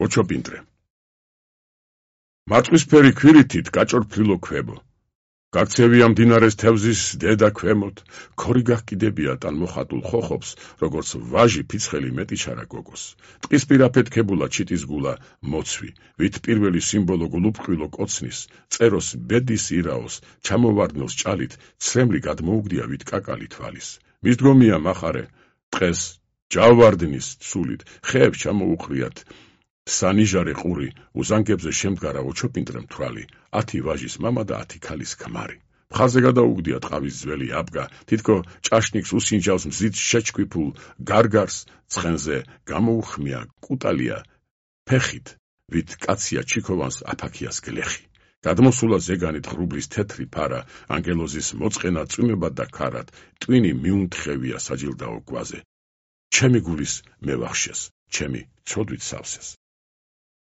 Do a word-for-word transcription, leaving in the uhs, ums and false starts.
ოჩოპინტრე. მაწვისფერი ქვირითით გაჭორფლილო ქვებო. გაქცევია მდინარეს თევზის დედა ქვემოთ, ქორი გახკიდებია თან მოხატულ ხოხობს, როგორც ვაჟი ფიცხელი მეტიჩარა გოგოს. ტყის პირაფეთ ქებულა ჩიტის გულა მოცვი, ვით პირველი სიმბოლო გულუფყვილო კოცნის, წეროს ბედის ირაოს, ჩამოვარდნოს ჭალით, ცრემლი გადმოუგდია ვით კაკალი თვალის. მისდგომია მახარე, ტყეს ჯავვარდნის ცულით, ხეებს ჩამოუყრიათ, სანიჟარე ყური, უზანგებზე შემდგარა ოჩოპინტრემ თვალი, ათი ვაჟის მამა და ათი ქალის ქმარი. მხარზე გადაუგდია ტყავის ძველი აბგა, თითქო ჭაშნიკს უსინჯავს მზით შეჩქვიფულ გარგარს, ცხენზე გამოუხმია კუტალია ფეხით, ვით კაცია ჩიქოვანს აფაქიას გლეხი. გადმოსულა ზეგანით ღრუბლის თეთრი ფარა, ანგელოზის მოწყენა წვიმებად და ქარად, ტვინი მიუნთხევია საჯილდაო გვაზე. ჩემი გულის მევახშეს, ჩემი ცოდვით სავსეს.